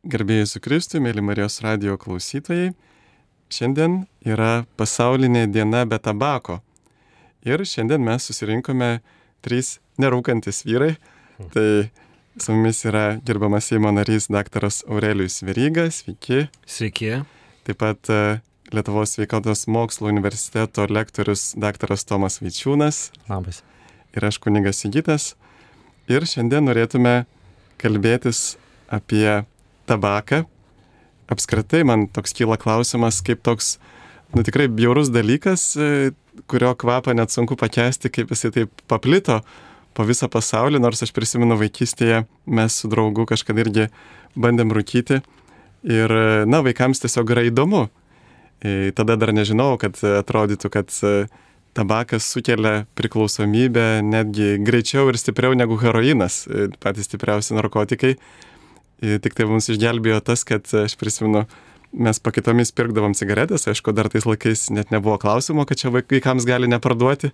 Garbėjai su Kristui, mėly Marijos radijo klausytojai. Šiandien yra pasaulinė diena be tabako. Ir šiandien mes susirinkome 3 nerūkantis vyrai. Tai su mumis yra gerbiamas Seimo narys daktaras Aurelijus Veryga. Sveiki. Sveiki. Taip pat Lietuvos sveikatos mokslo universiteto lektorius daktaras Tomas Vaičiūnas. Labas. Ir aš kunigas Sigitas. Ir šiandien norėtume kalbėtis apie tabaką. Apskritai man toks kyla klausimas, kaip toks, tikrai bjaurus dalykas, kurio kvapą net sunku pakęsti, kaip jisai taip paplito po visą pasaulį, nors aš prisimenu vaikystėje, mes su draugu kažkada irgi bandėm rūkyti ir, vaikams tiesiog yra įdomu. Tada dar nežinau, kad atrodytų, kad tabakas sukelia priklausomybę netgi greičiau ir stipriau negu heroinas, patys stipriausi narkotikai. Tik tai mums išgelbėjo tas, kad aš prisimenu, mes pakitomis pirkdavom cigaretės, aišku, dar tais laikais net nebuvo klausimo, kad čia vaikams gali neparduoti.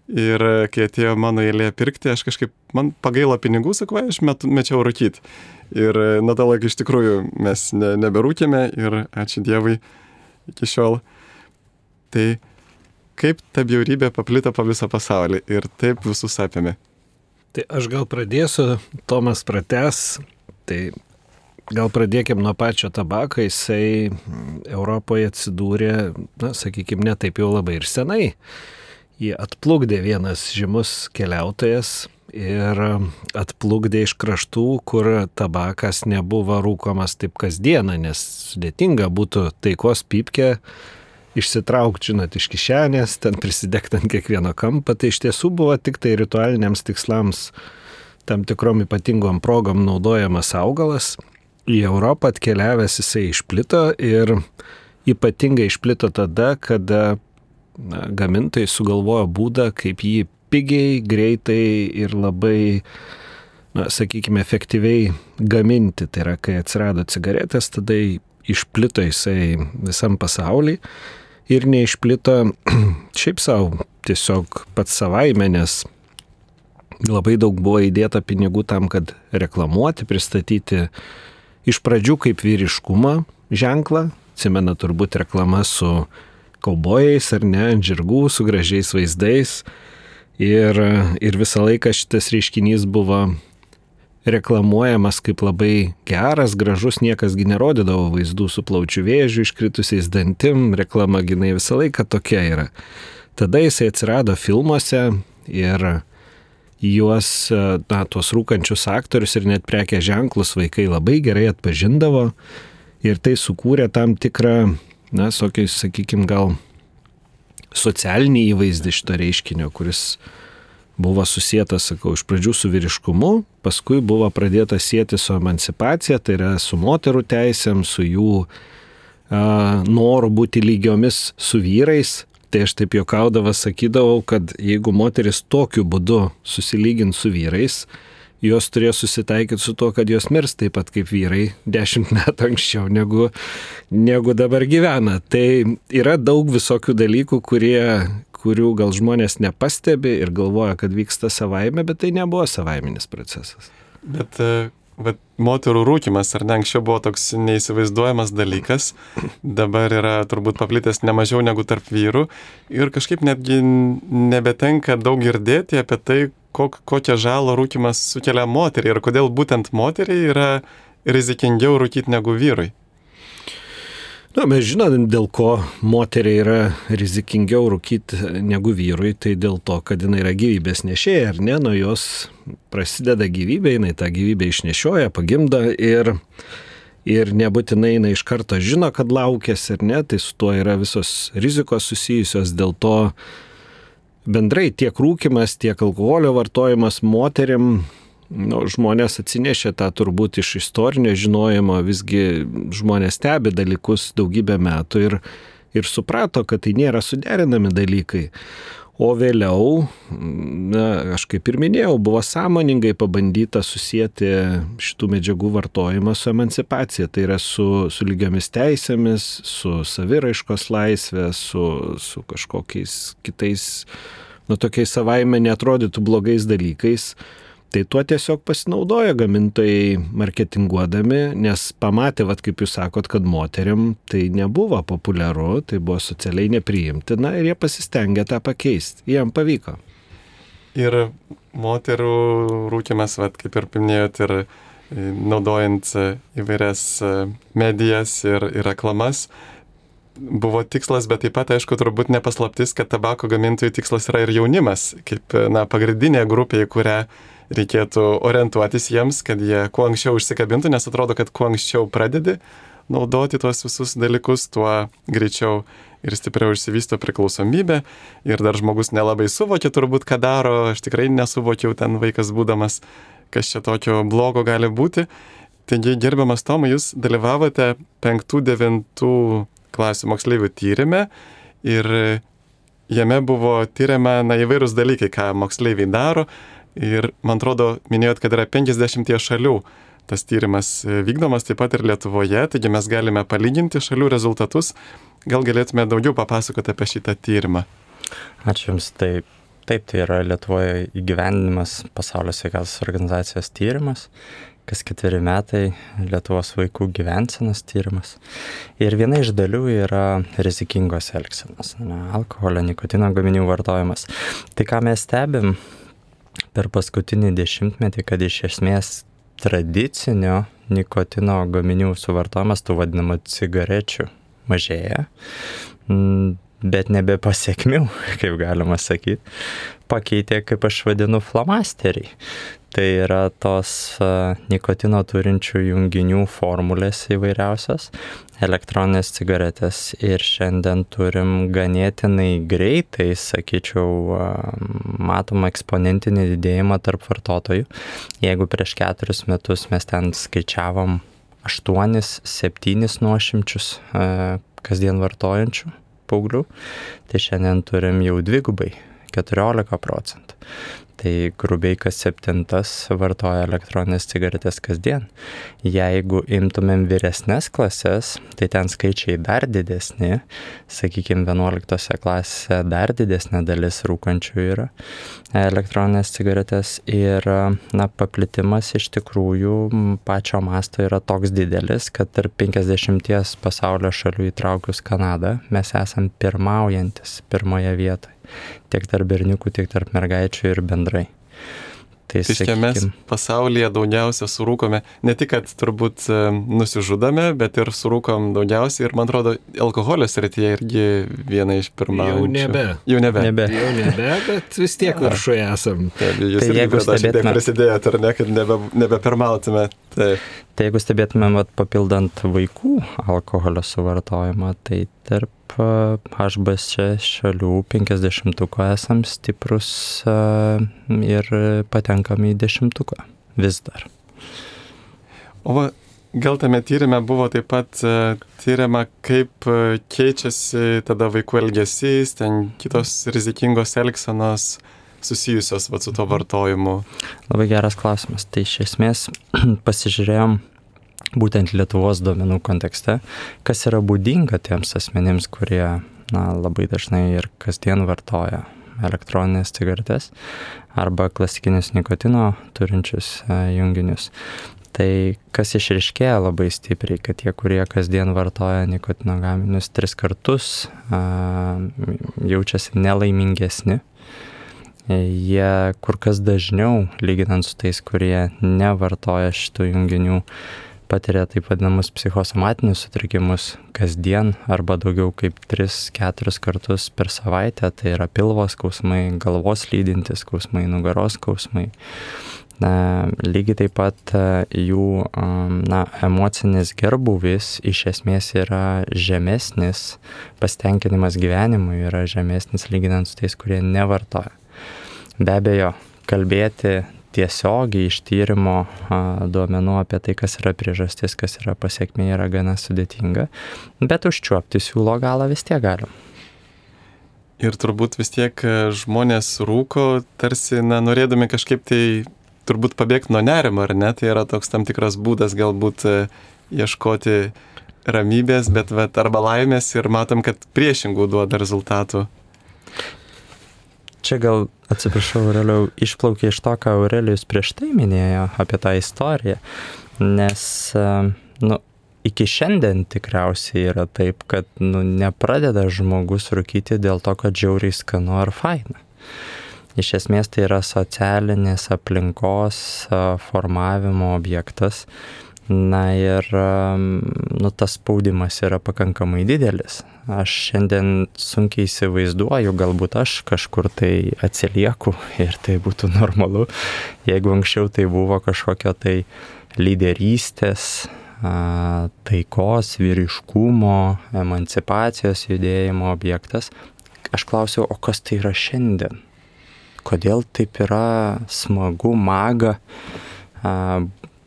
Ir kai atėjo mano eilė pirkti, aš kažkaip, man pagailo pinigų, sakau, aš mečiau rūkyti. Ir nuo to laiko iš tikrųjų mes neberūkėme ir ačiū Dievui iki šiol. Tai kaip ta bjaurybė paplito po visą pasaulį ir taip visus apėmė? Tai aš gal pradėsiu, Tomas pratęs. Tai gal pradėkim nuo pačio tabako. Jisai Europoje atsidūrė, sakykime, ne taip jau labai ir senai. Jį atplukdė vienas žymus keliautojas ir atplukdė iš kraštų, kur tabakas nebuvo rūkomas taip kasdieną, nes sudėtinga būtų taikos pypkę išsitraukti, iš kišenės, ten prisidegti ant kiekvieno kampo. Tai iš tiesų buvo tik tai ritualiniams tikslams, tam tikrom ypatingom progom naudojamas augalas. Į Europą atkeliavęs jisai išplito ir ypatingai išplito tada, kada gamintojai sugalvojo būdą, kaip jį pigiai, greitai ir labai, sakykime, efektyviai gaminti. Tai yra, kai atsirado cigaretės, tada išplito jisai visam pasauly ir neišplito šiaip savo, tiesiog pats savaime, nes labai daug buvo įdėta pinigų tam, kad reklamuoti, pristatyti iš pradžių kaip vyriškumą ženklą. Atsimena turbūt reklama su kaubojais ar ne, ant žirgų, su gražiais vaizdais. Ir visą laiką šitas reiškinys buvo reklamuojamas kaip labai geras, gražus, niekasgi nerodydavo vaizdų su plaučių vėžiu, iškritusiais dantim, reklama ginai visą laiką tokia yra. Tada jisai atsirado filmuose ir juos, tuos rūkančius aktorius ir net prekės ženklus vaikai labai gerai atpažindavo ir tai sukūrė tam tikrą, sakykime, gal socialinį įvaizdį šito reiškinio, kuris buvo susietas, sakau, iš pradžių su vyriškumu, paskui buvo pradėta sieti su emancipacija, tai yra su moterų teisėm, su jų noru būti lygiomis su vyrais. Tai aš taip juokaudavas sakydavau, kad jeigu moteris tokiu būdu susilygint su vyrais, jos turėjo susitaikyti su to, kad jos mirs taip pat kaip vyrai 10 metų anksčiau negu dabar gyvena. Tai yra daug visokių dalykų, kurių gal žmonės nepastebi ir galvoja, kad vyksta savaime, bet tai nebuvo savaiminis procesas. Bet moterų rūkymas, ar ne, anksčiau buvo toks neįsivaizduojamas dalykas, dabar yra turbūt paplitęs nemažiau negu tarp vyrų ir kažkaip netgi nebetenka daug girdėti apie tai, kokią žalą rūkymas sukelia moteriai ir kodėl būtent moteriai yra rizikingiau rūkyti negu vyrui. Mes žinom, dėl ko moteriai yra rizikingiau rūkyti negu vyrui, tai dėl to, kad jinai yra gyvybės nešėja, ar ne, nuo jos prasideda gyvybė, jinai tą gyvybę išnešioja, pagimdo ir nebūtinai jinai iš karto žino, kad laukėsi, ar ne, tai su tuo yra visos rizikos susijusios, dėl to bendrai tiek rūkymas, tiek alkoholio vartojimas moterim, žmonės atsinešė tą turbūt iš istorinio žinojimo, visgi žmonės stebi dalykus daugybę metų ir suprato, kad tai nėra suderinami dalykai. O vėliau, aš kaip ir minėjau, buvo sąmoningai pabandyta susijęti šitų medžiagų vartojimą su emancipacija. Tai yra su lygiomis teisėmis, su saviraiškos laisvė, su kažkokiais kitais, tokiais savaime neatrodytų blogais dalykais. Tai tuo tiesiog pasinaudoja gamintojai marketinguodami, nes pamatė, kaip jūs sakot, kad moteriam tai nebuvo populiaru, tai buvo socialiai nepriimtina ir jie pasistengė tą pakeisti. Jiem pavyko. Ir moterų rūkymas, kaip ir paminėjot, ir naudojant įvairias medijas ir reklamas, buvo tikslas, bet taip pat, aišku, turbūt nepaslaptis, kad tabako gamintojų tikslas yra ir jaunimas, kaip pagrindinė grupė, į kurią reikėtų orientuotis jiems, kad jie kuo anksčiau užsikabintų, nes atrodo, kad kuo anksčiau pradedi naudoti tuos visus dalykus, tuo greičiau ir stipriau išsivysto priklausomybė. Ir dar žmogus nelabai suvokia turbūt, ką daro, aš tikrai nesuvokiau ten vaikas būdamas, kas čia tokio blogo gali būti. Taigi, gerbiamas Tomai, jūs dalyvavote 5-9 klasių moksleivių tyrime ir jame buvo tyriama įvairūs dalykai, ką moksleiviai daro. Ir, man atrodo, minėjot, kad yra 50 šalių tas tyrimas vykdomas, taip pat ir Lietuvoje, taigi mes galime palyginti šalių rezultatus. Gal galėtume daugiau papasakoti apie šitą tyrimą? Ačiū Jums. Taip, tai yra Lietuvoje įgyvendinimas Pasaulio sveikatos organizacijos tyrimas, kas 4 metai Lietuvos vaikų gyvensenos tyrimas. Ir viena iš dalių yra rizikingos elgsenos, alkoholio, nikotino gaminių vartojimas. Tai ką mes stebim per paskutinį 10-metį, kad iš esmės tradicinio nikotino gaminių suvartojimas, tų vadinamų cigarečių, mažėja, bet nebe pasiekmių, kaip galima sakyti, pakeitė, kaip aš vadinu, flamasteriai. Tai yra tos nikotino turinčių junginių formulės įvairiausios, elektroninės cigaretės, ir šiandien turim ganėtinai greitai, sakyčiau, matom eksponentinį didėjimą tarp vartotojų. Jeigu prieš 4 metus mes ten skaičiavom 8-7 nuošimčius kasdien vartojančių paauglių, tai šiandien turim jau dvigubai, 14%. Tai grubiai kas 7 vartoja elektroninės cigaretės kasdien. Jeigu imtumėm vyresnes klases, tai ten skaičiai dar didesni, sakykime 11 klasėse dar didesnė dalis rūkančių yra elektroninės cigaretės, ir paplitimas iš tikrųjų pačio masto yra toks didelis, kad tarp 50 pasaulio šalių įtraukius Kanadą mes esam pirmaujantis pirmoje vietoje. Tiek tarp berniukų, tiek tarp mergaičių ir bendrai. Tai čia mes pasaulyje daugiausia surūkome, ne tik, kad turbūt nusižudome, bet ir surūkom daugiausiai, ir man atrodo, alkoholio srityje irgi viena iš pirmaujančių. Jau nebe, bet vis tiek viršuje esam. Jūs irgi prie prisidėjot, ar ne, kad nebepirmautume. Tai jeigu stebėtumėm papildant vaikų alkoholio suvartojimą, tai tarp HBC šalių 50-tuko esam stiprus ir patenkam į 10-tuką vis dar. O gal tame tyrime buvo taip pat tyriama, kaip keičiasi tada vaikų elgesys, ten kitos rizikingos elgsenos susijusios su to vartojimu? Labai geras klausimas. Tai iš esmės pasižiūrėjom būtent Lietuvos duomenų kontekste, kas yra būdinga tiems asmenims, kurie labai dažnai ir kasdien vartoja elektroninės cigaretės arba klasikinius nikotino turinčius junginius. Tai kas išryškėja labai stipriai, kad tie, kurie kasdien vartoja nikotino gaminius 3 kartus, jaučiasi nelaimingesni. Jie kur kas dažniau, lyginant su tais, kurie nevartoja šitų junginių, patiria taip vadinamus psichosomatinius sutrikimus kasdien arba daugiau kaip 3-4 kartus per savaitę. Tai yra pilvo skausmai, galvos lydintys skausmai, nugaros skausmai. Lygiai taip pat jų emocinis gerbūvis iš esmės yra žemesnis, pasitenkinimas gyvenimu yra žemesnis lyginant su tais, kurie nevartoja. Be abejo, kalbėti tiesiogiai iš tyrimo duomenų apie tai, kas yra priežastis, kas yra pasekmė, yra gana sudėtinga, bet užčiuopti siūlo galą vis tiek galim. Ir turbūt vis tiek žmonės rūko, tarsi norėdami kažkaip tai turbūt pabėgti nuo nerimo, ar ne? Tai yra toks tam tikras būdas galbūt ieškoti ramybės, bet arba laimės, ir matom, kad priešingų duoda rezultatų. čia gal, atsiprašau, Aurelijau, išplaukė iš to, ką Aurelijus prieš tai minėjo apie tą istoriją, nes, iki šiandien tikriausiai yra taip, kad, nepradeda žmogus rūkyti dėl to, kad žiauriai skanu ar faina. Iš esmės tai yra socialinės aplinkos formavimo objektas. Na ir tas spaudimas yra pakankamai didelis. Aš šiandien sunkiai įsivaizduoju, galbūt aš kažkur tai atsilieku ir tai būtų normalu, jeigu anksčiau tai buvo kažkokio tai lyderystės, taikos, vyriškumo, emancipacijos judėjimo objektas. Aš klausiau, o kas tai yra šiandien? Kodėl taip yra smagu, maga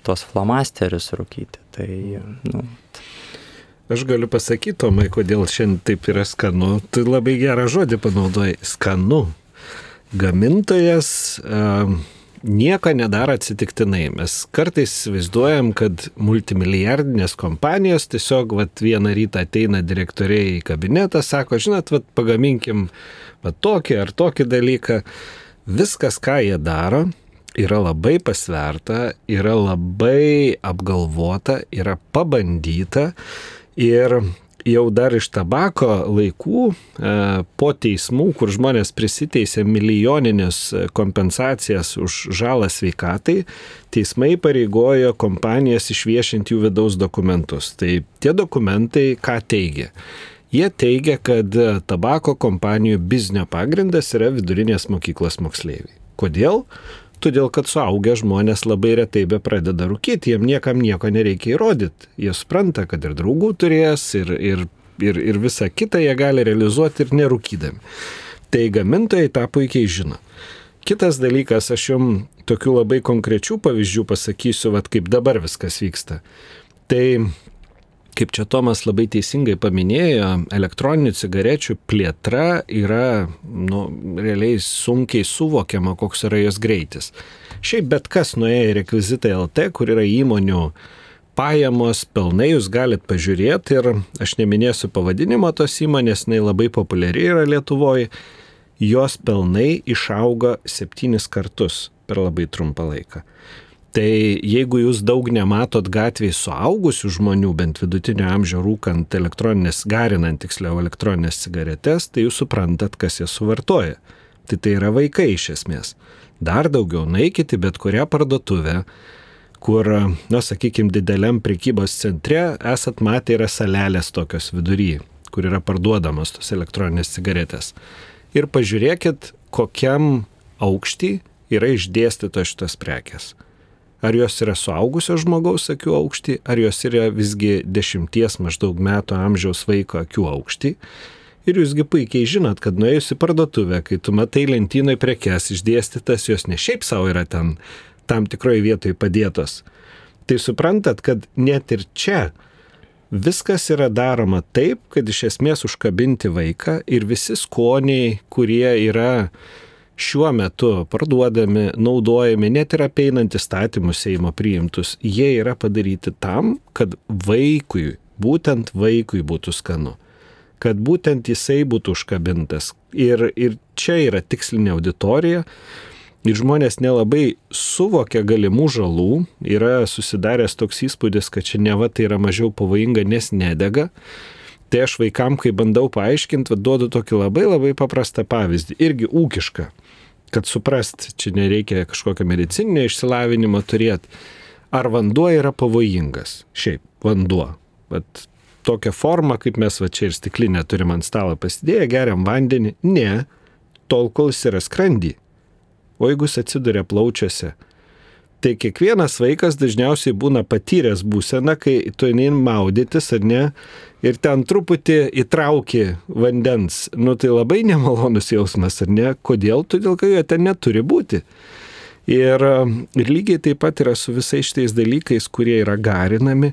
tos flamasterius rūkyti? Aš galiu pasakyti, Tomai, kodėl šiandien taip yra skanu. Tu labai gerą žodį panaudojai. Skanu. Gamintojas nieko nedaro atsitiktinai. Mes kartais įsivaizduojam, kad multimilijardinės kompanijos tiesiog vieną rytą ateina direktoriai į kabinetą, sako, žinot, pagaminkim tokį ar tokį dalyką. Viskas, ką jie daro, yra labai pasverta, yra labai apgalvota, yra pabandyta ir jau dar iš tabako laikų po teismų, kur žmonės prisiteisė milijoninės kompensacijas už žalą sveikatai, teismai pareigojo kompanijas išviešinti jų vidaus dokumentus. Tai tie dokumentai ką teigia? Jie teigia, kad tabako kompanijų biznio pagrindas yra vidurinės mokyklos moksleiviai. Kodėl? Todėl, kad suaugę žmonės labai retai be pradeda rūkyti, jiem niekam nieko nereikia įrodyti. Jie supranta, kad ir draugų turės, ir visą kitą jie gali realizuoti ir nerūkydami. Tai gamintojai tą puikiai žino. Kitas dalykas, aš jums tokių labai konkrečių pavyzdžių pasakysiu, kaip dabar viskas vyksta. Tai kaip čia Tomas labai teisingai paminėjo, elektroninių cigarečių plėtra yra, realiai sunkiai suvokiama, koks yra jos greitis. Šiaip bet kas nuėjo į Rekvizitai LT, kur yra įmonių pajamos, pelnai, jūs galit pažiūrėti ir aš neminėsiu pavadinimo tos įmonės, jinai labai populiari yra Lietuvoje, jos pelnai išauga 7 kartus per labai trumpą laiką. Tai jeigu jūs daug nematot gatvėje suaugusių žmonių, bent vidutinio amžiaus rūkant garinant elektroninės cigaretės, tai jūs suprantat, kas jas suvartoja. Tai yra vaikai iš esmės. Dar daugiau nueikite bet kurią parduotuvę, kur, sakykime, dideliam prekybos centre esat matę yra salelės tokios vidury, kur yra parduodamos tos elektroninės cigaretės. Ir pažiūrėkit, kokiam aukštį yra išdėstytos šitos prekės. Ar jos yra suaugusio žmogaus akių aukštį, ar jos yra visgi 10 maždaug metų amžiaus vaiko akių aukštį. Ir jūsgi puikiai žinot, kad nuėjus į parduotuvę, kai tu matai lentynoj prekes išdėstytas, jos ne šiaip savo yra ten tam tikroje vietoje padėtos. Tai suprantat, kad net ir čia viskas yra daroma taip, kad iš esmės užkabinti vaiką ir visi skoniai, kurie yra šiuo metu parduodami, naudojami, net ir apeinant įstatymus Seimo priimtus, jie yra padaryti tam, kad būtent vaikui būtų skanu, kad būtent jisai būtų užkabintas. Ir čia yra tikslinė auditorija ir žmonės nelabai suvokia galimų žalų, yra susidaręs toks įspūdis, kad čia neva tai yra mažiau pavojinga, nes nedega. Tai aš vaikam, kai bandau paaiškinti, duodu tokį labai labai paprastą pavyzdį, irgi ūkišką. Kad suprast, čia nereikia kažkokio medicininio išsilavinimo turėti. Ar vanduo yra pavojingas? Šiaip, vanduo. Tokią formą, kaip mes čia ir stiklinę turim ant stalo pasidėję, geriam vandenį. Ne, tol kol jis yra skrandį. O jeigu jis atsiduria plaučiuose, tai kiekvienas vaikas dažniausiai būna patyręs būseną, kai tu eini maudytis, ar ne, ir ten truputį įtrauki vandens. Tai labai nemalonus jausmas, ar ne? Kodėl? Todėl, kad jo ten neturi būti. Ir lygiai taip pat yra su visais šitais dalykais, kurie yra garinami,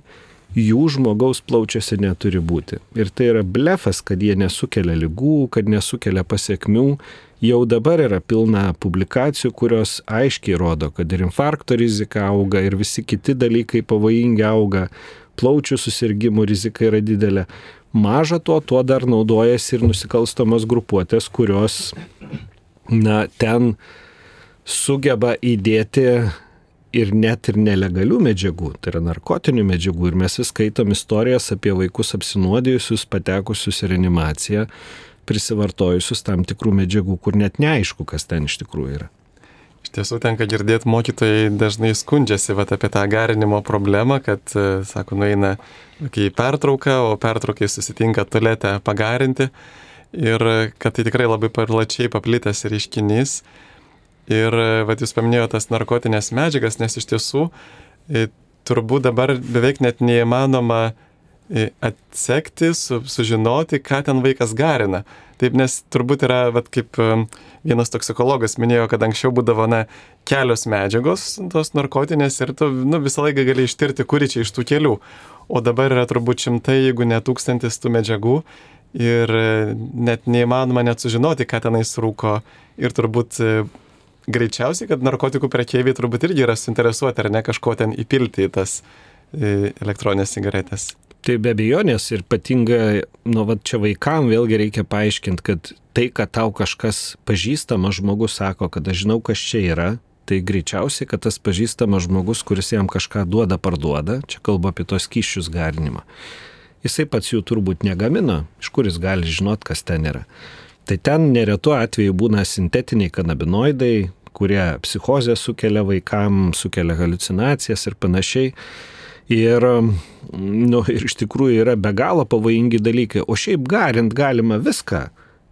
jų žmogaus plaučiuose neturi būti. Ir tai yra blefas, kad jie nesukelia ligų, kad nesukelia pasiekmių. Jau dabar yra pilna publikacijų, kurios aiškiai rodo, kad ir infarkto rizika auga, ir visi kiti dalykai pavojingi auga, plaučių susirgimų rizika yra didelė. Maža to dar naudojasi ir nusikalstamos grupuotės, kurios ten sugeba įdėti ir net ir nelegalių medžiagų, tai yra narkotinių medžiagų. Ir mes vis skaitom istorijas apie vaikus apsinuodijusius, patekusius į reanimaciją, prisivartojusius tam tikrų medžiagų, kur net neaišku, kas ten iš tikrųjų yra. Iš tiesų tenka girdėti, mokytojai dažnai skundžiasi apie tą garinimo problemą, kad, sako, nueina į pertrauką, o pertraukai susitinka tualete pagarinti ir kad tai tikrai labai plačiai paplitęs reiškinys. Ir jūs paminėjote tas narkotinės medžiagas, nes iš tiesų turbūt dabar beveik net neįmanoma atsekti, sužinoti, ką ten vaikas garina. Taip, nes turbūt yra, kaip vienas toksikologas minėjo, kad anksčiau būdavo kelios medžiagos, tos narkotinės, ir tu visą laiką gali ištirti, kuri čia iš tų kelių. O dabar yra turbūt 100, jeigu ne 1000 tų medžiagų ir net neįmanoma net sužinoti, ką tenais rūko. Ir turbūt greičiausiai, kad narkotikų prekeiviai turbūt irgi yra suinteresuoti, ar ne, kažko ten įpilti į tas elektroninės cigaretės. Tai be abejonės ir ypatingai, čia vaikam vėlgi reikia paaiškinti, kad tai, kad tau kažkas pažįstamas žmogus sako, kad aš žinau, kas čia yra, tai greičiausiai, kad tas pažįstamas žmogus, kuris jam kažką duoda, parduoda, čia kalba apie tos skysčius garinimą, jisai pats jų turbūt negamina, iš kur jis gali žinot, kas ten yra. Tai ten neretu atveju būna sintetiniai kanabinoidai, kurie psichozę sukelia vaikam, sukelia haliucinacijas ir panašiai. Ir iš tikrųjų yra be galo pavojingi dalykai. O šiaip garint galima viską.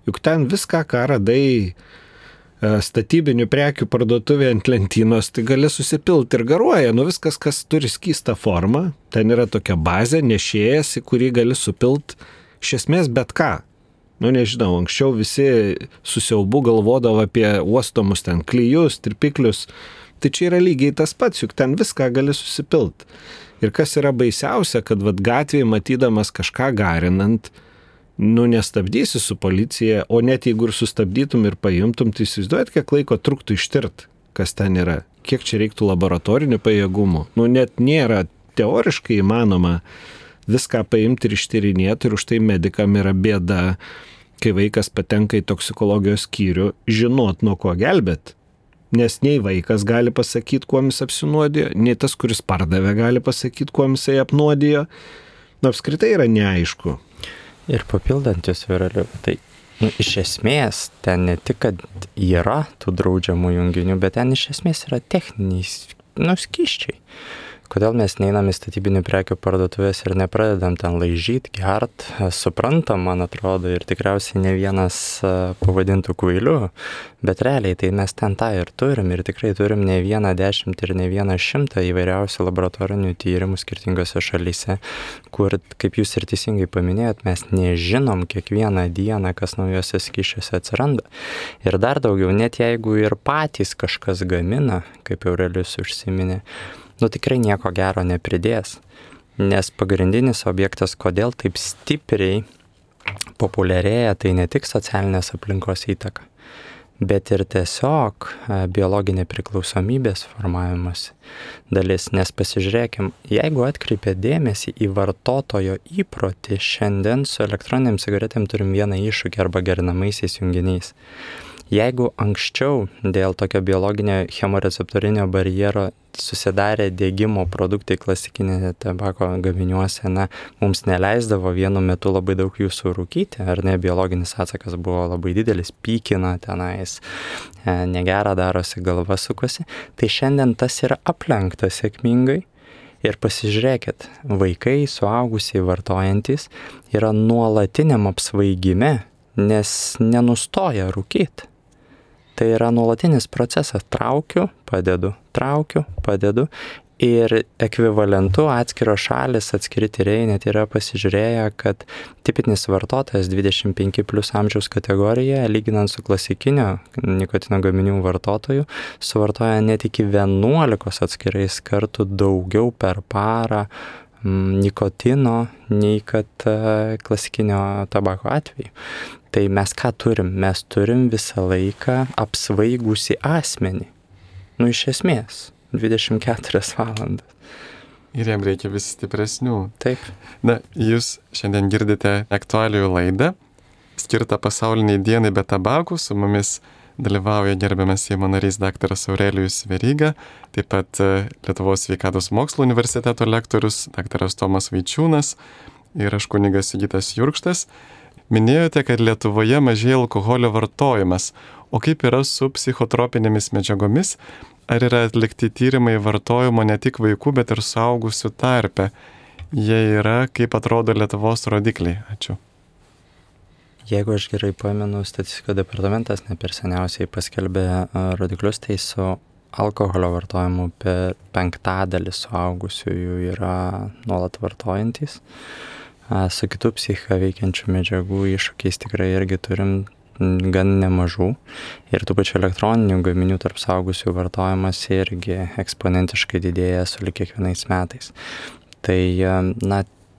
Juk ten viską, ką radai statybinių prekių parduotuvėje ant lentynos, tai gali susipilti ir garuoja. Viskas, kas turi skystą formą, ten yra tokia bazė, nešėjas, į kurį gali supilti iš esmės bet ką. Nežinau, anksčiau visi su siaubu galvodavo apie uostomus ten klijus, tirpiklius. Tai čia yra lygiai tas pats, juk ten viską gali susipilti. Ir kas yra baisiausia, kad gatvėje matydamas kažką garinant, nestabdysi su policija, o net jeigu ir sustabdytum ir paimtum, tai įsivaizduojat, kiek laiko truktų ištirt, kas ten yra. Kiek čia reiktų laboratorinių pajėgumų. Net nėra teoriškai įmanoma viską paimti ir ištyrinėti, ir už tai medikam yra bėda, kai vaikas patenka į toksikologijos skyrių, žinot, nuo ko gelbėt. Nes nei vaikas gali pasakyti, kuo jis apsinuodijo, nei tas, kuris pardavė, gali pasakyti, kuo jisai apnuodijo. Apskritai yra neaišku. Ir papildant jūs, Viraliu, tai iš esmės ten ne tik, kad yra tų draudžiamų junginių, bet ten iš esmės yra techniniai skysčiai. Kodėl mes neinam į statybinių prekių parduotuvės ir nepradedam ten laižyti, gert, suprantam, man atrodo, ir tikriausiai ne vienas pavadintų kvailiu, bet realiai tai mes ten tą ir turim, ir tikrai turim ne 10 ir ne 100 įvairiausių laboratorinių tyrimų skirtingose šalyse, kur, kaip jūs ir teisingai paminėjot, mes nežinom kiekvieną dieną, kas naujose skysčiuose atsiranda. Ir dar daugiau, net jeigu ir patys kažkas gamina, kaip Aurelijus užsiminė, tikrai nieko gero nepridės, nes pagrindinis objektas, kodėl taip stipriai populiarėja, tai ne tik socialinės aplinkos įtaka, bet ir tiesiog biologinė priklausomybės formavimas dalis. Nes pasižiūrėkim, jeigu atkreipia dėmesį į vartotojo įprotį, šiandien su elektroniniam cigaretėm turim vieną iššūkį arba gerinamaisiais junginiais. Jeigu anksčiau dėl tokio biologinio chemoreceptorinio barjero susidarė degimo produktai klasikinėse tabako gaminiuose, mums neleisdavo vienu metu labai daug jų surūkyti, ar ne, biologinis atsakas buvo labai didelis, pykina tenais, negera darosi, galva sukosi, tai šiandien tas yra aplenkta sėkmingai. Ir pasižiūrėkit, vaikai, suaugusiai vartojantis yra nuolatiniam apsvaigime, nes nenustoja rūkyti. Tai yra nuolatinis procesas. Traukiu, padedu. Ir ekvivalentu atskiros šalis, atskiri tyrėjai net yra pasižiūrėję, kad tipinis vartotojas 25+ amžiaus kategorijoje, lyginant su klasikinio nikotino gaminių vartotoju, suvartoja net iki 11 atskirais kartų daugiau per parą nikotino, nei kad klasikinio tabako atveju. Tai mes ką turim? Mes turim visą laiką apsvaigusi asmenį. Iš esmės, 24 valandas. Ir jam reikia vis stipresnių. Taip. Jūs šiandien girdite aktualijų laidą, skirtą pasauliniai dienai be tabakų. Su mumis dalyvauja gerbiamas Seimo narys daktaras Aurelijus Veryga, taip pat Lietuvos sveikatos mokslo universiteto lektorius daktaras Tomas Vaičiūnas ir aš kunigas Sigitas Jurkštas. Minėjote, kad Lietuvoje mažėja alkoholio vartojimas, o kaip yra su psichotropinėmis medžiagomis? Ar yra atlikti tyrimai vartojimo ne tik vaikų, bet ir suaugusių tarpe? Jie yra, kaip atrodo Lietuvos rodikliai? Ačiū. Jeigu aš gerai pamenu, statistikos departamentas ne per seniausiai paskelbė rodiklius, tai su alkoholio vartojimu per 5% suaugusiųjų yra nuolat vartojantys. Su kitų psichiką veikiančių medžiagų iššūkiais tikrai irgi turim gan nemažų. Ir tų pačių elektroninių gaminių tarp suaugusių vartojimas irgi eksponentiškai didėja sulig kiekvienais metais. Tai,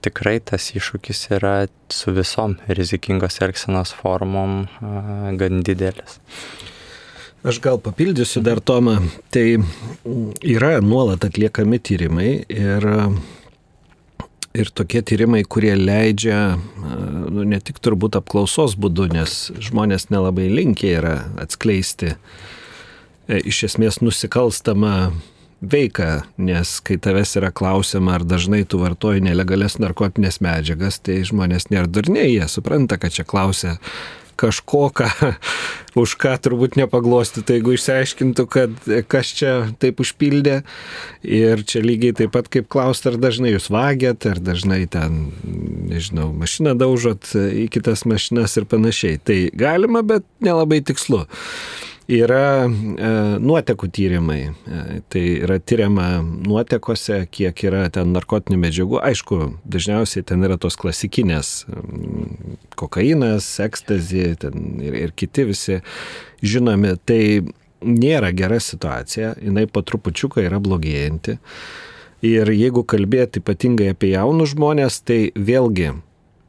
tikrai tas iššūkis yra su visom rizikingos elgsenos formom gan didelis. Aš gal papildysiu dar Tomą. Tai yra nuolat atliekami tyrimai ir tokie tyrimai, kurie leidžia, ne tik turbūt apklausos būdu, nes žmonės nelabai linkę yra atskleisti iš esmės nusikalstamą veiką, nes kai tavęs yra klausiama, ar dažnai tu vartoji nelegalias narkotinės medžiagas, tai žmonės nėra durniai, jie supranta, kad čia klausia kažko, už ką turbūt nepaglostytų, jeigu išsiaiškintų, kad kas čia taip užpildė. Ir čia lygiai taip pat kaip klausti, ar dažnai jūs vagiat, ar dažnai ten, nežinau, mašiną daužot į kitas mašinas ir panašiai. Tai galima, bet nelabai tikslu. Yra nuotekų tyrimai, tai yra tyriama nuotekose, kiek yra ten narkotinių medžiagų. Aišku, dažniausiai ten yra tos klasikinės kokainas, ekstazi ir kiti visi žinomi. Tai nėra gera situacija, jinai po trupučiuką yra blogėjanti. Ir jeigu kalbėti ypatingai apie jaunus žmonės, tai vėlgi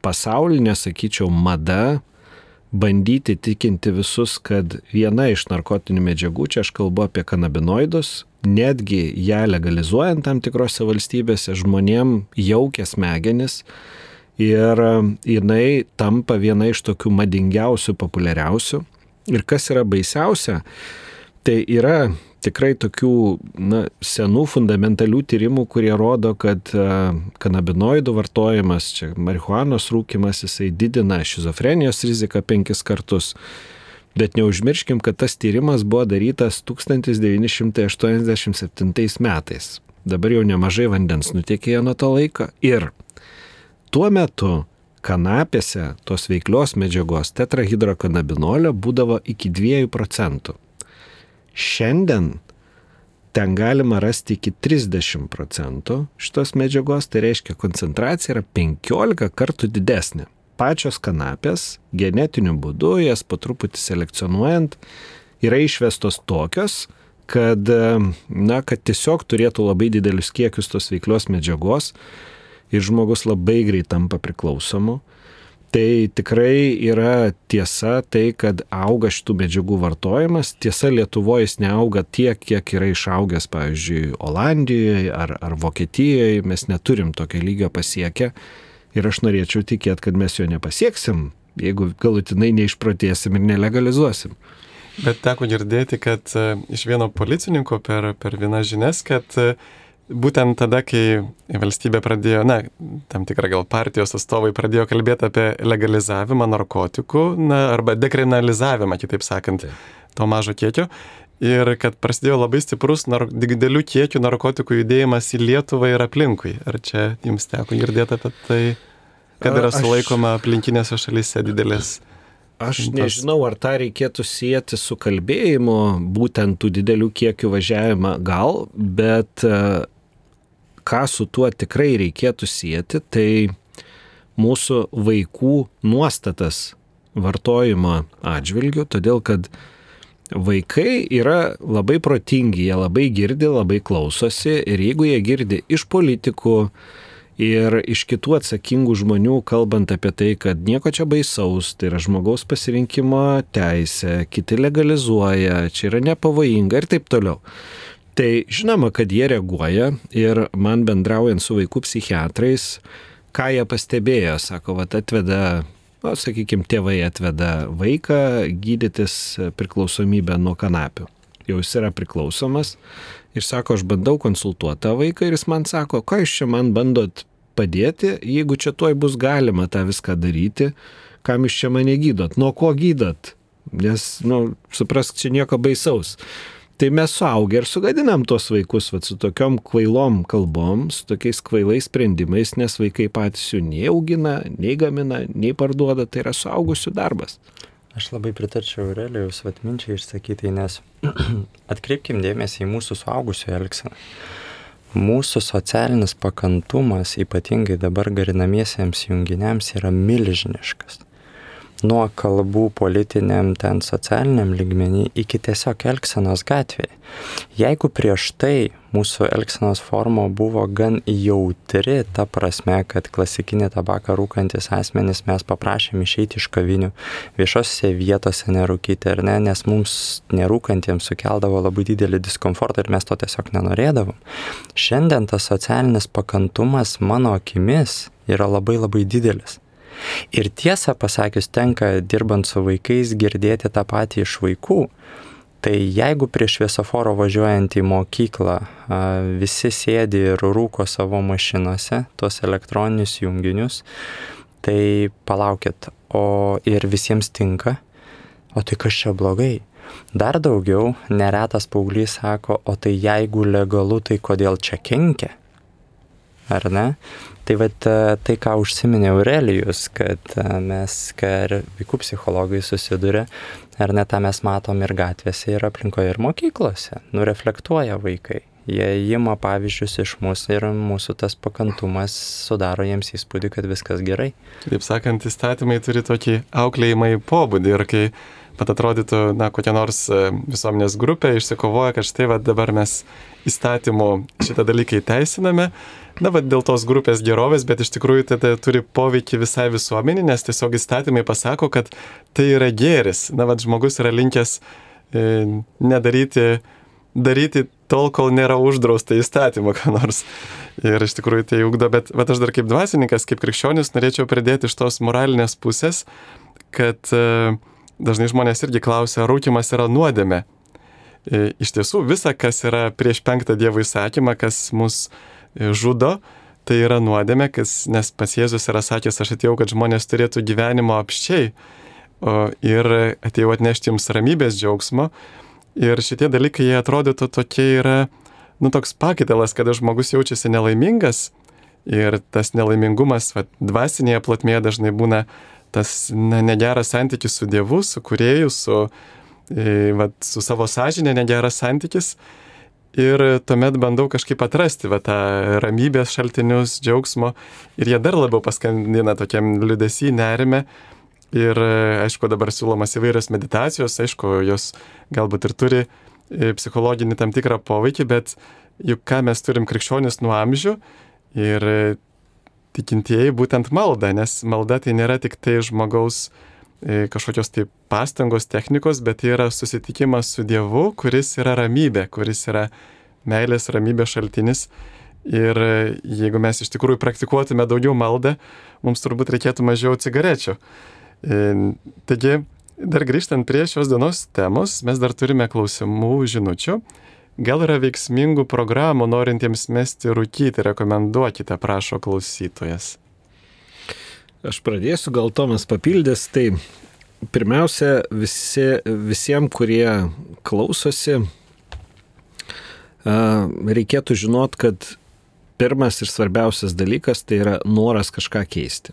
pasaulinė, sakyčiau, mada bandyti tikinti visus, kad viena iš narkotinių medžiagų, čia aš kalbu apie kanabinoidus, netgi ją legalizuojant tam tikrose valstybėse, žmonėm jaukia smegenis ir jinai tampa viena iš tokių madingiausių, populiariausių. Ir kas yra baisiausia, tai yra tikrai tokių senų fundamentalių tyrimų, kurie rodo, kad kanabinoidų vartojimas, čia marihuanos rūkymas, jisai didina šizofrenijos riziką 5 kartus. Bet neužmirškim, kad tas tyrimas buvo darytas 1987 metais. Dabar jau nemažai vandens nutekėjo nuo to laiko. Ir tuo metu kanapėse tos veiklios medžiagos tetrahidrokanabinolio būdavo iki 2%. Šiandien ten galima rasti iki 30% šitos medžiagos, tai reiškia koncentracija yra 15 kartų didesnė. Pačios kanapės genetiniu būdu, jas po truputį selekcionuojant, yra išvestos tokios, kad tiesiog turėtų labai didelius kiekius tos veiklios medžiagos ir žmogus labai greit tampa priklausomu. Tai tikrai yra tiesa tai, kad auga šitų medžiagų vartojimas. Tiesa, Lietuvoje jis neauga tiek, kiek yra išaugęs, pavyzdžiui, Olandijoje ar Vokietijoje. Mes neturim tokio lygio pasiekę ir aš norėčiau tikėti, kad mes jo nepasieksim, jeigu galutinai neišprotėsim ir nelegalizuosim. Bet teko girdėti, kad iš vieno policininko per vienas žinias, kad būtent tada, kai valstybė pradėjo, tam tikrą gal partijos atstovai pradėjo kalbėti apie legalizavimą narkotikų, arba dekriminalizavimą, kitaip sakant, to mažo kiekio, ir kad prasidėjo labai stiprus didelių kiekių narkotikų judėjimas į Lietuvą ir aplinkui. Ar čia jums teko girdėti apie tai, kad yra sulaikoma aplinkinėse šalyse didelės? Aš nežinau, ar tą reikėtų sieti su kalbėjimu, būtent tų didelių kiekių važiavimą gal, bet ką su tuo tikrai reikėtų sieti, tai mūsų vaikų nuostatas vartojimo atžvilgių, todėl kad vaikai yra labai protingi, jie labai girdi, labai klausosi ir jeigu jie girdi iš politikų ir iš kitų atsakingų žmonių, kalbant apie tai, kad nieko čia baisaus, tai yra žmogaus pasirinkimo teisė, kiti legalizuoja, čia yra nepavojinga ir taip toliau. Tai žinoma, kad jie reaguoja ir man bendraujant su vaikų psichiatrais, ką jie pastebėjo, sako, atveda sakykime, tėvai atveda vaiką gydytis priklausomybę nuo kanapių. Jau jis yra priklausomas ir sako, aš bandau konsultuoti tą vaiką ir jis man sako, ką jūs čia man bandot padėti, jeigu čia tuoj bus galima tą viską daryti, kam jūs čia mane gydot, nuo ko gydot, nes, suprask, čia nieko baisaus. Tai mes suaugę ir sugadinam tuos vaikus su tokiom kvailom kalbom, su tokiais kvailais sprendimais, nes vaikai patys jų nei augina, nei gamina, nei parduoda, tai yra suaugusių darbas. Aš labai pritarčiau Aurelijaus minčiai išsakytai, nes atkreipkim dėmesį į mūsų suaugusių elgseną. Mūsų socialinis pakantumas, ypatingai dabar garinamiesiems junginiams, yra milžiniškas. Nuo kalbų politiniam, ten socialiniam lygmenį iki tiesiog elgsenos gatvėje. Jeigu prieš tai mūsų elgsenos forma buvo gan jautri, ta prasme, kad klasikinį tabaką rūkantis asmenys mes paprašėm išeiti iš kavinių, viešose vietose nerūkyti, ar ne, nes mums nerūkantiems sukeldavo labai didelį diskomfortą ir mes to tiesiog nenorėdavom. Šiandien tas socialinis pakantumas mano akimis yra labai labai didelis. Ir tiesą pasakius, tenka dirbant su vaikais girdėti tą patį iš vaikų. Tai jeigu prie šviesoforo važiuojant į mokyklą visi sėdi ir rūko savo mašinose, tuos elektroninius junginius, tai palaukit, o ir visiems tinka, o tai kas čia blogai? Dar daugiau, neretas paauglys sako, o tai jeigu legalu, tai kodėl čia kenkia? Ar ne? Tai tai, ką užsiminė Aurelijus, kad mes, kai vaikų psichologai susiduria, ar ne, tą mes matom ir gatvėse, ir aplinkoje, ir mokyklose. Reflektuoja vaikai. Jie ima pavyzdžius iš mūsų ir mūsų tas pakantumas sudaro jiems įspūdį, kad viskas gerai. Taip sakant, įstatymai turi tokį auklėjimą į pobūdį ir kai pat atrodytų, kokia nors visuomenės grupė išsikovoja, kad štai dabar mes įstatymų šitą dalyką įteisiname, dėl tos grupės gerovės, bet iš tikrųjų tai turi poveikį visai visuomenį, nes tiesiog įstatymai pasako, kad tai yra gėris. Žmogus yra linkęs daryti tol, kol nėra uždrausta įstatymą, ką nors. Ir iš tikrųjų tai ugdo, bet aš dar kaip dvasininkas, kaip krikščionis norėčiau pridėti iš tos moralinės pusės, kad dažnai žmonės irgi klausia, ar rūkymas yra nuodėmė. Iš tiesų, visa, kas yra prieš 5 Dievo įsakymą, kas mus žudo, tai yra nuodėmė, nes pats Jėzus yra sakęs, aš atėjau, kad žmonės turėtų gyvenimo apsčiai ir atėjau atnešti jums ramybės džiaugsmo. Ir šitie dalykai, jie atrodytų tokie yra, toks pakitalas, kada žmogus jaučiasi nelaimingas ir tas nelaimingumas dvasinėje plotmėje dažnai būna tas negeras santykis su Dievu, su Kūrėju, su savo sąžinė negeras santykis. Ir tuomet bandau kažkaip atrasti tą ramybės šaltinius, džiaugsmo ir jie dar labiau paskandina tokiam liūdesy, nerime. Ir aišku, dabar siūlomas įvairios meditacijos, aišku, jos galbūt ir turi psichologinį tam tikrą poveikį, bet juk ką mes turim krikščionis nuo amžių ir tikintieji būtent malda, nes malda tai nėra tik tai žmogaus kažkokios tai pastangos, technikos, bet tai yra susitikimas su Dievu, kuris yra ramybė, kuris yra meilės, ramybės šaltinis. Ir jeigu mes iš tikrųjų praktikuotume daugiau maldą, mums turbūt reikėtų mažiau cigarečių. Taigi, dar grįžtant prie šios dienos temos, mes dar turime klausimų, žinučių. Gal yra veiksmingų programų norintiems mesti rūkyti, rekomenduokite, prašo klausytojas. Aš pradėsiu, gal Tomas papildys. Tai pirmiausia, visiems, kurie klausosi, reikėtų žinot, kad pirmas ir svarbiausias dalykas tai yra noras kažką keisti.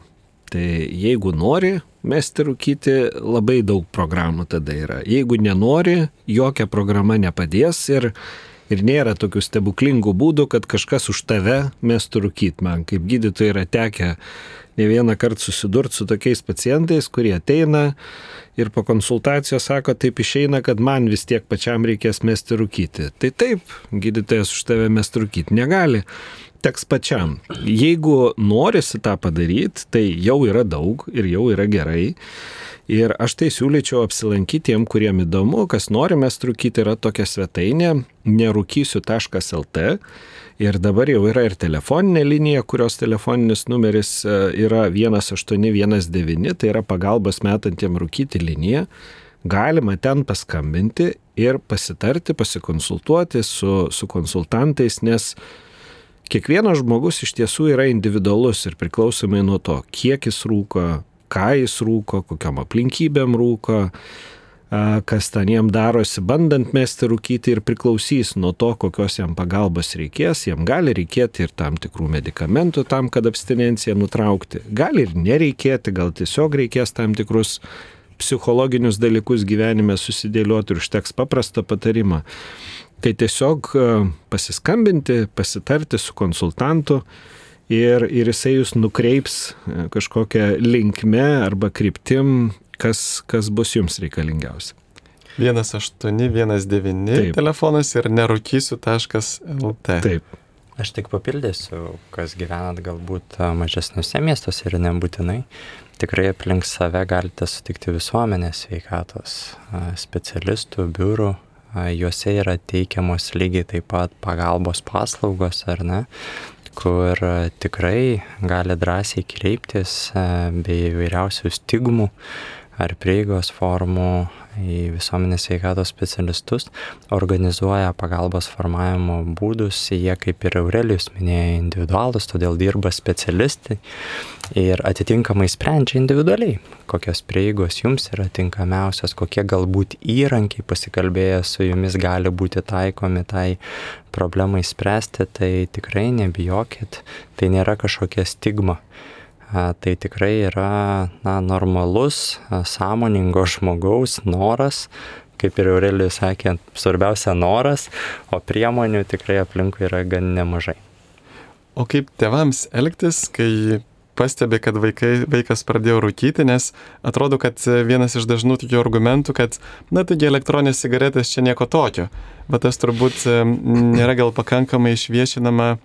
Tai jeigu nori mesti rūkyti, labai daug programų tada yra. Jeigu nenori, jokia programa nepadės ir nėra tokių stebuklingų būdų, kad kažkas už tave mestų rūkyti. Man kaip gydytojai yra tekę ne vieną kartą susidurti su tokiais pacientais, kurie ateina ir po konsultacijos sako, taip išeina, kad man vis tiek pačiam reikės mesti rūkyti. Tai taip, gydytojas už tave mesti rūkyti negali. teks pačiam. Jeigu norisi tą padaryti, tai jau yra daug ir jau yra gerai. Ir aš tai siūlyčiau apsilankyti tiem, kuriem įdomu, kas nori mest rūkyti, yra tokia svetainė nerūkysiu.lt. Ir dabar jau yra ir telefoninė linija, kurios telefoninis numeris yra 1819, tai yra pagalbos metantiem rūkyti linija. Galima ten paskambinti ir pasitarti, pasikonsultuoti su konsultantais, nes kiekvienas žmogus iš tiesų yra individualus ir priklausomai nuo to, kiek jis rūko, ką jis rūko, kokiam aplinkybėm rūko, kas ten jam darosi, bandant mesti rūkyti, ir priklausys nuo to, kokios jam pagalbos reikės. Jam gali reikėti ir tam tikrų medikamentų tam, kad abstinenciją nutraukti. Gali ir nereikėti, gal tiesiog reikės tam tikrus psichologinius dalykus gyvenime susidėlioti ir užteks paprastą patarimą. Tai tiesiog pasiskambinti, pasitarti su konsultantu ir jisai jūs nukreips kažkokią linkme arba kryptim, kas bus jums reikalingiausia. 1819 telefonas ir nerūkysiu.lt. Taip. Aš tik papildysiu, kas gyvenat galbūt mažesniuose miestuose ir nebūtinai. Tikrai aplink save galite sutikti visuomenės sveikatos specialistų, biurų. Juose yra teikiamos lygiai taip pat pagalbos paslaugos, ar ne, kur tikrai gali drąsiai kreiptis be įvairiausių stigmų ar prieigos formų į visuomenės sveikatos specialistus, organizuoja pagalbos formavimo būdus, jie, kaip ir Aurelijus minėjo, individualus, todėl dirba specialistai ir atitinkamai sprendžia individualiai, kokios prieigos jums yra tinkamiausios, kokie galbūt įrankiai pasikalbėję su jumis gali būti taikomi tai problemai spręsti, tai tikrai nebijokit, tai nėra kažkokia stigma. Tai tikrai yra normalus, sąmoningo žmogaus noras, kaip ir Aurelijus sakė, svarbiausia noras, o priemonių tikrai aplinkui yra gan nemažai. O kaip tėvams elgtis, kai pastebi, kad vaikas pradėjo rūkyti, nes atrodo, kad vienas iš dažnų tokių argumentų, kad, taigi elektroninės cigaretės čia nieko tokio, bet tas turbūt nėra gal pakankamai išviešinama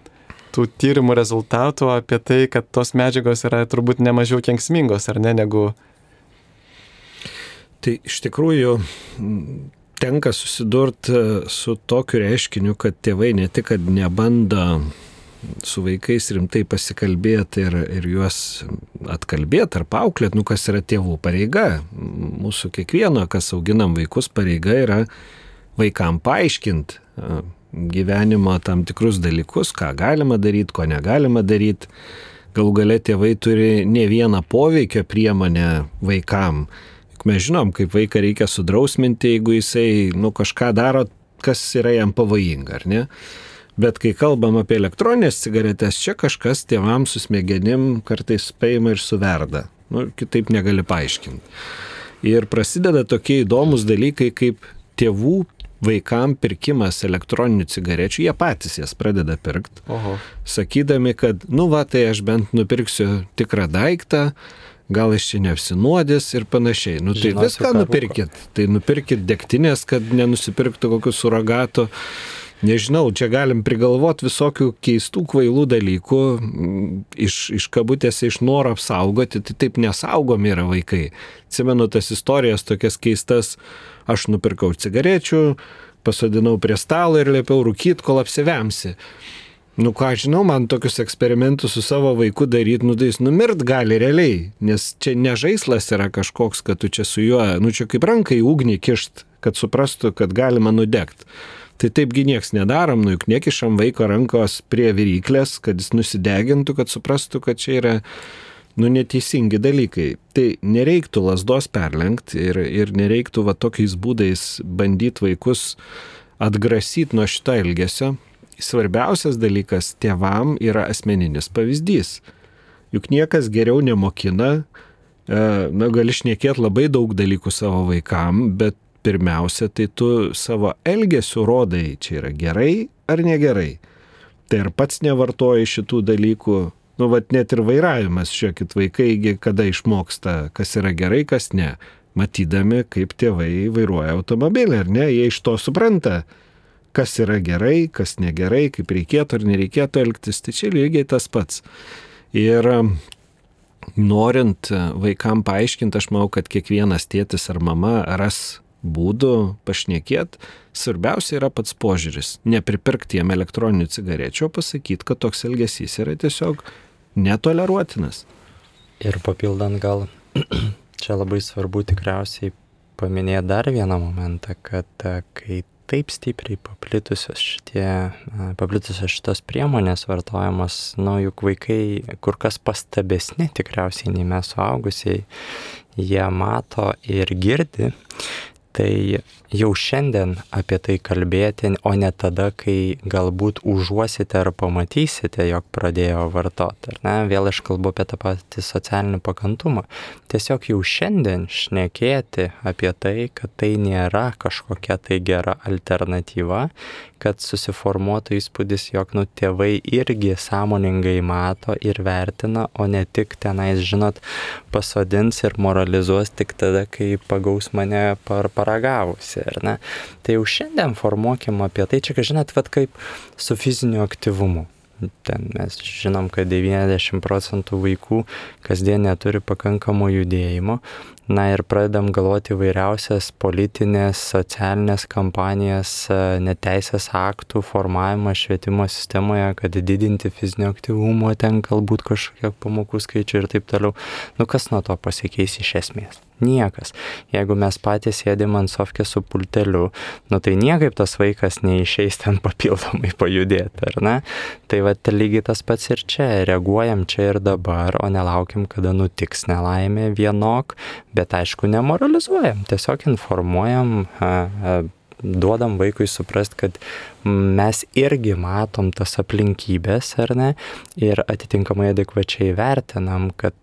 tų tyrimų rezultatų apie tai, kad tos medžiagos yra turbūt nemažiau kenksmingos, ar ne, negu... Tai iš tikrųjų tenka susidurti su tokiu reiškiniu, kad tėvai ne tik, kad nebando su vaikais rimtai pasikalbėti ir juos atkalbėti ar paauklėti, kas yra tėvų pareiga. Mūsų kiekvieno, kas auginam vaikus, pareiga yra vaikam paaiškinti gyvenimo tam tikrus dalykus, ką galima daryti, ko negalima daryti. Galų gale tėvai turi ne vieną poveikio priemonę vaikam. Mes žinom, kaip vaiką reikia sudrausminti, jeigu jisai kažką daro, kas yra jam pavojinga, ar ne? Bet kai kalbam apie elektroninės cigaretės, čia kažkas tėvams su smegenim kartais paima ir suverda. Kitaip negali paaiškinti. Ir prasideda tokie įdomus dalykai, kaip tėvų vaikam pirkimas elektroninių cigarečių, jie patys jas pradeda pirkti, sakydami, kad, tai aš bent nupirksiu tikrą daiktą, gal iš čia neapsinuodės ir panašiai. Tai viską nupirkit. Tai nupirkit degtinės, kad nenusipirktų kokių suragatų. Nežinau, čia galim prigalvoti visokių keistų, kvailų dalykų, iš kabutėse, iš noro apsaugoti, tai taip nesaugomi yra vaikai. Atsimenu tas istorijas tokias keistas, aš nupirkau cigarečių, pasodinau prie stalo ir liepiau rūkyti, kol apsivemsi. Ką žinau, man tokius eksperimentus su savo vaiku daryti, tai jis numirt gali realiai, nes čia ne žaislas yra kažkoks, kad tu čia su juo, čia kaip rankai ugnį kišt, kad suprastų, kad galima nudegti. Tai taipgi nieks nedarom, juk nekišam vaiko rankos prie viryklės, kad jis nusidegintų, kad suprastų, kad čia yra neteisingi dalykai. Tai nereiktų lazdos perlenkti ir nereiktų tokiais būdais bandyti vaikus atgrasyti nuo šito elgesio. Svarbiausias dalykas tėvam yra asmeninis pavyzdys. Juk niekas geriau nemokina, gali šnekėti labai daug dalykų savo vaikam, bet pirmiausia, tai tu savo elgesiu rodai, čia yra gerai ar negerai. Tai ar pats nevartoji šitų dalykų, net ir vairavimas, žiūrėkit, vaikai kada išmoksta, kas yra gerai, kas ne. Matydami, kaip tėvai vairuoja automobilį, ar ne, jie iš to supranta, kas yra gerai, kas negerai, kaip reikėtų ar nereikėtų elgtis, tai čia lygiai tas pats. Ir norint vaikam paaiškinti, aš manau, kad kiekvienas tėtis ar mama ras būdų pašnekėti, svarbiausia yra pats požiūris. Nepripirkti jiem elektroninių cigarečių, pasakyti, kad toks elgesys yra tiesiog netoleruotinas. Ir papildant gal, čia labai svarbu tikriausiai paminėti dar vieną momentą, kad kai taip stipriai paplitusios šitos priemonės vartojamas, juk vaikai kur kas pastabesni tikriausiai nei mes suaugusiai, jie mato ir girdi, tai jau šiandien apie tai kalbėti, o ne tada, kai galbūt užuosite ar pamatysite, jog pradėjo vartoti. Ar ne? Vėl aš kalbu apie tą patį socialinį pakantumą. Tiesiog jau šiandien šnekėti apie tai, kad tai nėra kažkokia tai gera alternatyva, kad susiformuotų įspūdis, jog tėvai irgi sąmoningai mato ir vertina, o ne tik tenais, pasodins ir moralizuos tik tada, kai pagaus mane paragavusi, ar ne? Tai jau šiandien formuokim apie tai, čia, kaip su fiziniu aktyvumu. Ten mes žinom, kad 90% vaikų kasdien neturi pakankamo judėjimo. Ir pradedam galvoti įvairiausias politinės, socialinės kampanijas, neteisės aktų formavimą švietimo sistemoje, kad didinti fizinio aktyvumo, ten galbūt kažkokie pamokų skaičių ir taip toliau. Kas nuo to pasikeis iš esmės? Niekas. Jeigu mes patys sėdim ant sofkės su pulteliu, tai niekaip tas vaikas neišeis ten papildomai pajudėti, ar ne? Tai lygiai tas pats ir čia. Reaguojam čia ir dabar, o nelaukim, kada nutiks nelaimė vienok, bet aišku nemoralizuojam, tiesiog informuojam, duodam vaikui suprast, kad mes irgi matom tas aplinkybės, ar ne, ir atitinkamai adekvačiai vertinam, kad,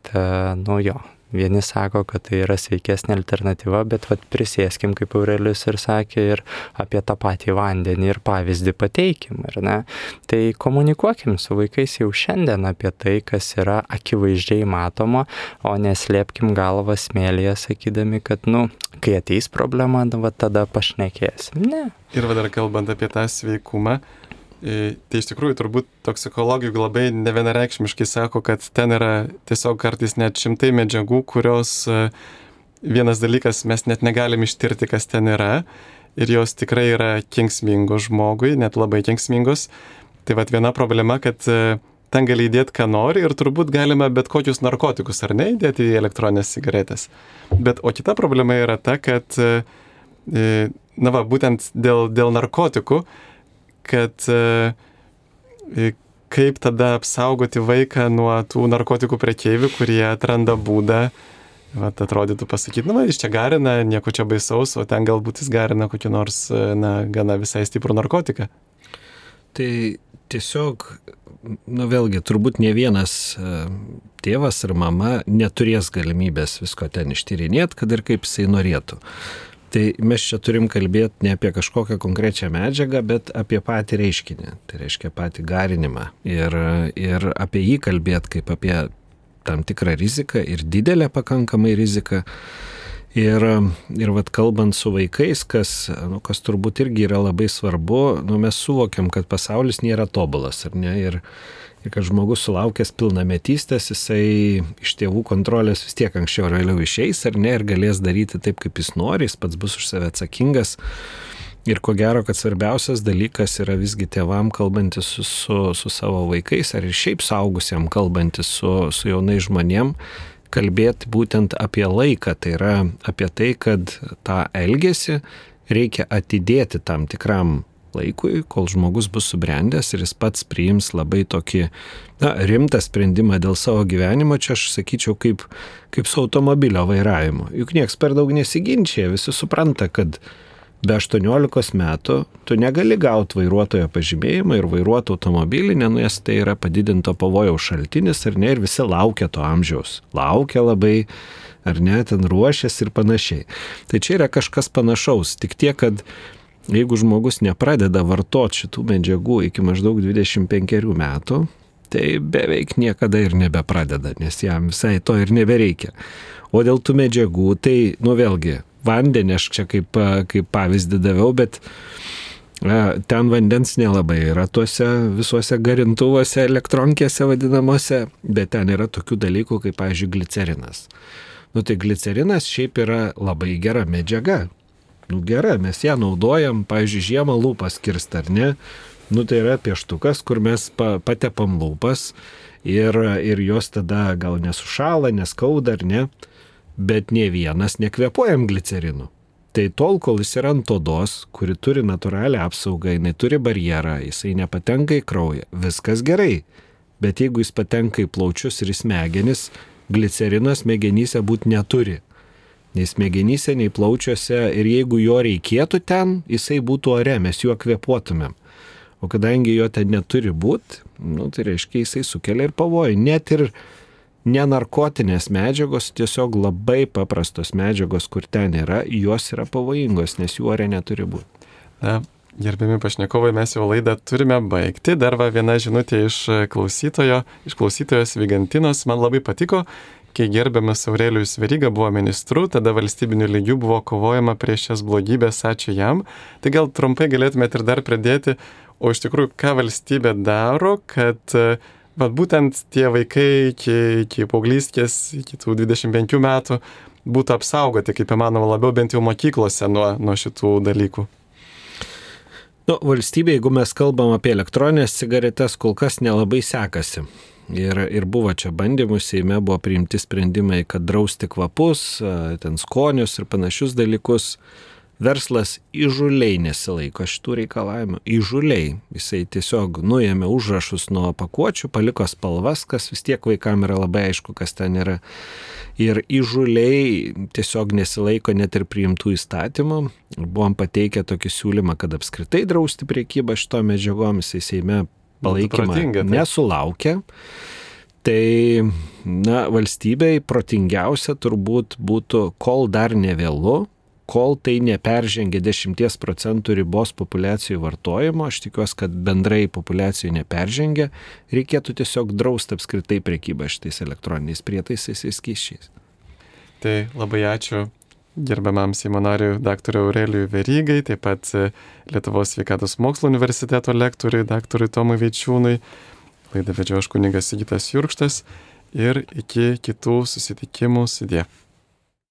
vieni sako, kad tai yra sveikesnė alternatyva, bet prisėskim, kaip Aurelijus ir sakė, ir apie tą patį vandenį ir pavyzdį pateikim, ar ne? Tai komunikuokim su vaikais jau šiandien apie tai, kas yra akivaizdžiai matoma, o neslėpkim galvą smėlyje, sakydami, kad, kai ateis problema, tada pašnekėsim. Ne. Ir dar kalbant apie tą sveikumą, tai iš tikrųjų turbūt toksikologai labai nevienareikšmiškai sako, kad ten yra tiesiog kartais net šimtai medžiagų, kurios vienas dalykas mes net negalim ištirti, kas ten yra, ir jos tikrai yra kenksmingos žmogui, net labai kenksmingos. Tai viena problema, kad ten gali įdėti, ką nori, ir turbūt galima bet kokius narkotikus, ar ne, įdėti į elektroninės cigaretės. O kita problema yra ta, kad būtent dėl narkotikų, kad kaip tada apsaugoti vaiką nuo tų narkotikų prekeivių, kurie atranda būdą, atrodytų pasakyti, jis čia garina, nieko čia baisaus, o ten galbūt jis garina kokį nors, gana visai stiprų narkotiką. Tai tiesiog, vėlgi, turbūt ne vienas tėvas ar mama neturės galimybės visko ten ištyrinėti, kad ir kaip jisai norėtų. Tai mes čia turim kalbėti ne apie kažkokią konkrečią medžiagą, bet apie patį reiškinį, tai reiškia patį garinimą. Ir apie jį kalbėti kaip apie tam tikrą riziką ir didelę pakankamai riziką. Ir kalbant su vaikais, kas turbūt irgi yra labai svarbu, mes suvokiam, kad pasaulis nėra tobulas, ar ne? Ir kad žmogus sulaukęs pilnametystės, jisai iš tėvų kontrolės vis tiek anksčiau ar vėliau išeis, ar ne, ir galės daryti taip, kaip jis nori, jis pats bus už save atsakingas. Ir ko gero, kad svarbiausias dalykas yra visgi tėvam kalbantis su savo vaikais, ar ir šiaip suaugusiem kalbantis su jaunais žmonėm, kalbėti būtent apie laiką, tai yra apie tai, kad tą elgesį reikia atidėti tam tikram laikui, kol žmogus bus subrendęs ir jis pats priims labai tokį rimtą sprendimą dėl savo gyvenimo. Čia aš sakyčiau kaip su automobilio vairavimu. Juk nieks per daug nesiginčia, visi supranta, kad be 18 metų tu negali gauti vairuotojo pažymėjimą ir vairuoti automobilį, nes tai yra padidinto pavojaus šaltinis, ar ne, ir visi laukia to amžiaus. Laukia labai, ar ne, ten ruošiasi ir panašiai. Tai čia yra kažkas panašaus, tik tiek, kad jeigu žmogus nepradeda vartoti šitų medžiagų iki maždaug 25 metų, tai beveik niekada ir nebepradeda, nes jam visai to ir nebereikia. O dėl tų medžiagų, tai, vėlgi, vandenį aš čia kaip pavyzdį daviau, bet Ten vandens nelabai yra tuose visuose garintuvuose, elektronkėse vadinamuose, bet ten yra tokių dalykų kaip, pavyzdžiui, glicerinas. Tai glicerinas šiaip yra labai gera medžiaga. Gera, mes ją naudojam, pavyzdžiui, žiemą lūpas kirst, ar ne? Tai yra pieštukas, kur mes patepam lūpas ir jos tada gal nesušala, neskauda, ar ne? Bet nie vienas nekvėpuojam glicerinu. Tai tol, kol jis yra ant odos, kuri turi natūralią apsaugą, jinai turi barjerą, jisai nepatenka į kraują, viskas gerai. Bet jeigu jis patenka į plaučius ir į smegenis, glicerinas smegenyse būti neturi. Nei smegenyse, nei plaučiuose, ir jeigu jo reikėtų ten, jisai būtų ore, mes juo kvėpuotumėm. O kadangi jo ten neturi būti, tai reiškia, jisai sukelia ir pavojų. Net ir nenarkotinės medžiagos, tiesiog labai paprastos medžiagos, kur ten yra, jos yra pavojingos, nes jų ore neturi būti. Gerbiami pašnekovai, mes jau laidą turime baigti. Dar viena žinutė iš klausytojos Vigantinos. Man labai patiko, kai gerbiamas Aurelijus Veryga buvo ministru, tada valstybiniu lygiu buvo kovojama prieš šias blogybės, ačiū jam. Tai gal trumpai galėtumėte ir dar pridėti, o iš tikrųjų, ką valstybė daro, kad būtent tie vaikai iki paauglystės, iki tų 25 metų būtų apsaugoti, kaip įmanoma labiau, bent jau mokyklose nuo šitų dalykų. Valstybė, jeigu mes kalbam apie elektroninės cigaretės, kol kas nelabai sekasi. Ir buvo čia bandymų, Seime buvo priimti sprendimai, kad drausti kvapus, ten skonius ir panašius dalykus. Verslas įžūliai nesilaiko šitų reikalavimų. Įžūliai. Jisai tiesiog nuėmė užrašus nuo pakuočių, paliko spalvas, kas vis tiek vaikam yra labai aišku, kas ten yra. Ir įžūliai tiesiog nesilaiko net ir priimtų įstatymų. Buvom pateikę tokį siūlymą, kad apskritai drausti prekybą šito medžiagom, jisai Seime palaikymą nesulaukė. Tai, valstybei protingiausia turbūt būtų, kol dar nevėlu, kol tai neperžengia 10% ribos populiacijų vartojimo, aš tikiuosi, kad bendrai populiacijų neperžengia, reikėtų tiesiog drausti apskritai prekybą šitais elektroniniais prietaisais ir skysčiais. Tai labai ačiū gerbiamam Seimo nariui dr. Aurelijui Verygai, taip pat Lietuvos sveikatos mokslo universiteto lektoriui dr. Tomui Vaičiūnui. Laidą vedžiau aš kunigas Sigitas Jurkštas ir iki kitų susitikimų sudie.